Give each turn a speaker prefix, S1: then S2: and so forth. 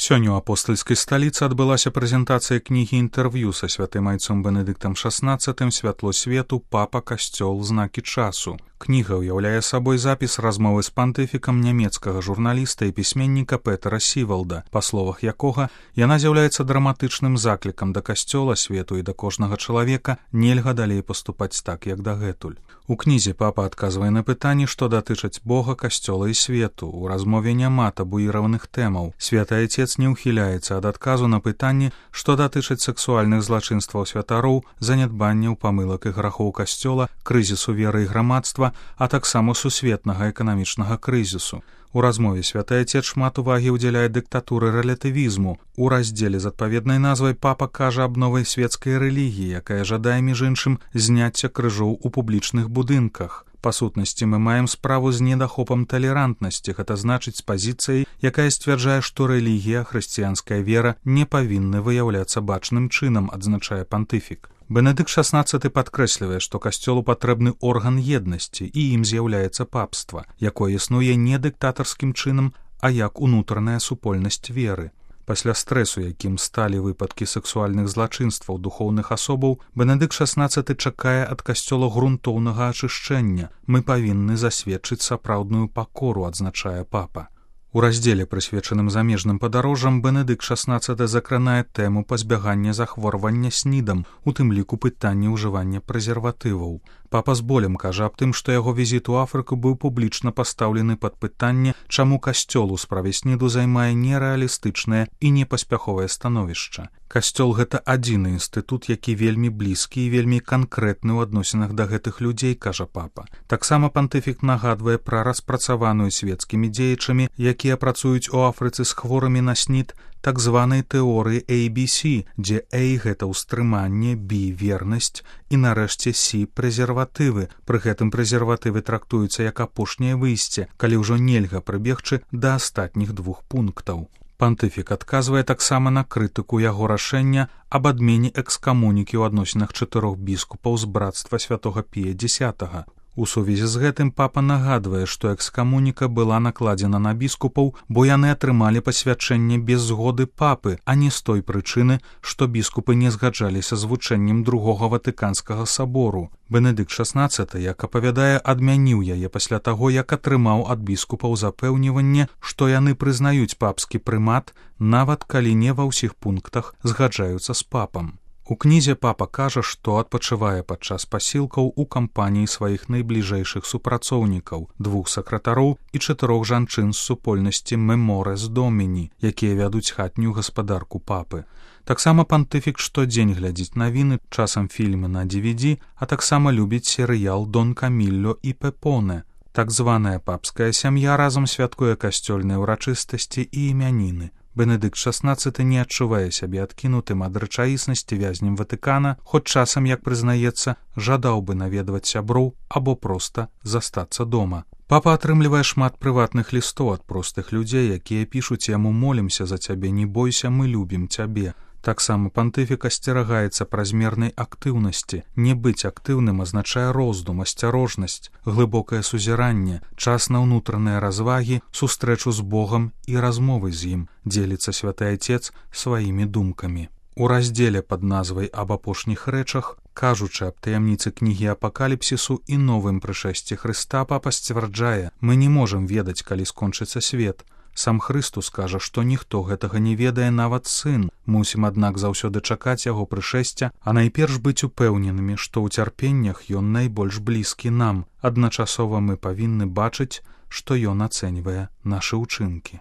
S1: Сёння ў апостальскай сталіцы адбылася прэзентацыя кнігі інтэрв'ю са святым айцом Бенедыктам XVI «Святло свету. Папа, касцёл, знакі часу». Кніга ўяўляе сабой запіс размовы з пантыфікам нямецкага журналіста і пісьменніка Петера Сівалда, па словах якога яна з'яўляецца драматычным заклікам да касцёла, свету і да кожнага чалавека нельга далей паступаць так, як дагэтуль. У кнізе папа адказвае на пытанні, што датычаць Бога, касцёла і свету. У размове няма табуіраваных тэмаў. Святы Айцец не ўхіляецца ад адказу на пытанні, што датычаць сексуальных злачынстваў святароў, занядбанняў, памылак і грахоў касцёла, крызісу веры і грамадства, а таксама сусветнага эканамічнага крызісу. У размове святы Айцец шмат увагі ўдзяляе дыктатуры рэлятывізму. У раздзеле з адпаведнай назвай папа кажа аб новай свецкай рэлігіі, якая жадае, між іншым, зняцця крыжоў у публічных будынках. Па сутнасці мы маем справу з недахопам талерантнасці, гэта значыць з пазіцыяй, якая сцвярджае, што рэлігія, хрысціянская вера не павінны выяўляцца бачным чынам, адзначае пантыфік. Бенедыкт XVI падкрэслівае, што касцёлу патрэбны орган еднасці, і ім з'яўляецца папства, якое існуе не дыктатарскім чынам, а як унутраная супольнасць веры. Пасля стрэсу, якім сталі выпадкі сексуальных злачынстваў духоўных асобаў, Бенедыкт XVI чакае ад касцёла грунтоўнага ачышчэння. Мы павінны засведчыць сапраўдную пакору, адзначае папа. У раздзеле, прысвечаным замежным падарожжам, Бенедыкт XVI закранае тэму пазбягання захворвання снідам, у тым ліку пытанне ўжывання прэзерватываў. Папа з болем кажа аб тым, што яго візіт у Афрыку быў публічна пастаўлены пад пытанне, чаму касцёл у справе сніду займае нерэалістычнае і непаспяховае становішча. Касцёл — гэта адзіны інстытут, які вельмі блізкі і вельмі канкрэтны ў адносінах да гэтых людзей, кажа папа. Таксама пантыфік нагадвае пра распрацаваную свецкімі дзеячамі, якія працуюць у Афрыцы з хворымі на снід, так званай тэорыі ABC, дзе A — гэта ўстрыманне, B — вернасць і нарэшце C — прэзерватывы. Пры гэтым прэзерватывы трактуюцца як апошняе выйсце, калі ўжо нельга прыбегчы да астатніх двух пунктаў. Пантыфік адказвае таксама на крытыку яго рашэння аб адмене экскамунікі ў адносінах 4 біскупаў з брацтва святога Пія X. У сувязі з гэтым папа нагадвае, што экскамуніка была накладзена на біскупаў, бо яны атрымалі пасвячэнне без згоды папы, а не з той прычыны, што біскупы не згаджаліся з вучэннем Другога Ватыканскага сабору. Бенедыкт XVI, як апавядае, адмяніў яе пасля таго, як атрымаў ад біскупаў запэўніванне, што яны прызнаюць папскі прымат, нават калі не ва ўсіх пунктах згаджаюцца з папам. У кнізе папа кажа, што адпачывае падчас пасілкаў у кампаніі сваіх найбліжэйшых супрацоўнікаў, 2 сакратароў і 4 жанчын з супольнасці Меморес Доміні, якія вядуць хатнюю гаспадарку папы. Таксама пантыфік штодзень глядзіць навіны, часам фільмы на DVD, а таксама любіць серыял «Дон Камілло і Пепоне». Так званая папская сям'я разам святкуе касцёльныя ўрачыстасці і імяніны. Бенедыкт XVI не адчувае сябе адкінутым ад рэчаіснасці вязнем Ватыкана, хоць часам, як прызнаецца, жадаў бы наведваць сяброў або проста застацца дома. Папа атрымлівае шмат прыватных лістоў ад простых людзей, якія пішуць яму: «Молімся за цябе, не бойся, мы любім цябе». Таксама пантыфік асцерагаецца празмернай актыўнасці. Не быць актыўным азначае роздум, асцярожнасць, глыбокае сузіранне, час на ўнутраныя развагі, сустрэчу з Богам і размовы з ім, дзеліцца святы Айцец сваімі думкамі. У раздзеле пад назвай «Аб апошніх рэчах», кажучы аб таямніцы кнігі апакаліпсісу і новым прышэсці Хрыста, папа сцвярджае: «Мы не можам ведаць, калі скончыцца свет. Сам Хрыстус кажа, што ніхто гэтага не ведае, нават сын. Мусім, аднак, заўсёды чакаць яго прышэсця, а найперш быць упэўненымі, што ў цярпеннях ён найбольш блізкі нам. Адначасова мы павінны бачыць, што ён ацэньвае нашы ўчынкі».